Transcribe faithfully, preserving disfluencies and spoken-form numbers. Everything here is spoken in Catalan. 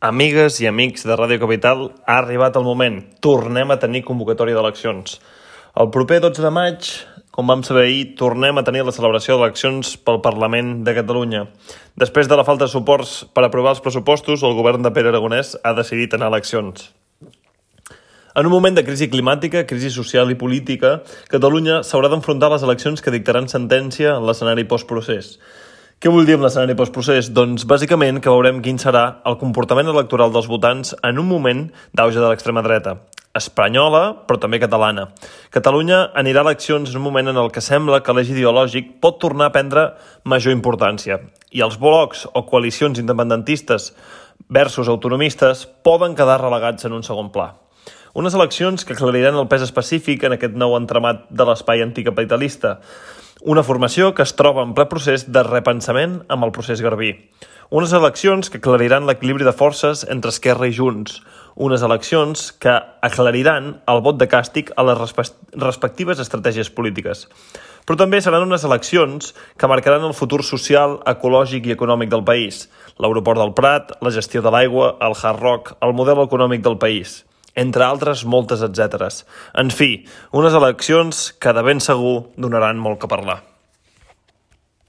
Amigues i amics de Ràdio Capital, ha arribat el moment. Tornem a tenir convocatòria d'eleccions. El proper dotze de maig, com vam saber ahir, tornem a tenir la celebració d'eleccions pel Parlament de Catalunya. Després de la falta de suports per aprovar els pressupostos, el govern de Pere Aragonès ha decidit anar a eleccions. En un moment de crisi climàtica, crisi social i política, Catalunya s'haurà d'enfrontar a les eleccions que dictaran sentència en l'escenari postprocés. Què vull dir amb l'escenari postprocés? Doncs bàsicament que veurem quin serà el comportament electoral dels votants en un moment d'auge de l'extrema dreta, espanyola però també catalana. Catalunya anirà a eleccions en un moment en el que sembla que l'eix ideològic pot tornar a prendre major importància i els blocs o coalicions independentistes versus autonomistes poden quedar relegats en un segon pla. Unes eleccions que aclariran el pes específic en aquest nou entramat de l'espai anticapitalista. Una formació que es troba en ple procés de repensament amb el procés Garbí. Unes eleccions que aclariran l'equilibri de forces entre Esquerra i Junts. Unes eleccions que aclariran el vot de càstig a les respectives estratègies polítiques. Però també seran unes eleccions que marcaran el futur social, ecològic i econòmic del país. L'aeroport del Prat, la gestió de l'aigua, el Hard Rock, el model econòmic del país. Entre altres, moltes etcèteres. En fi, unes eleccions que de ben segur donaran molt que parlar.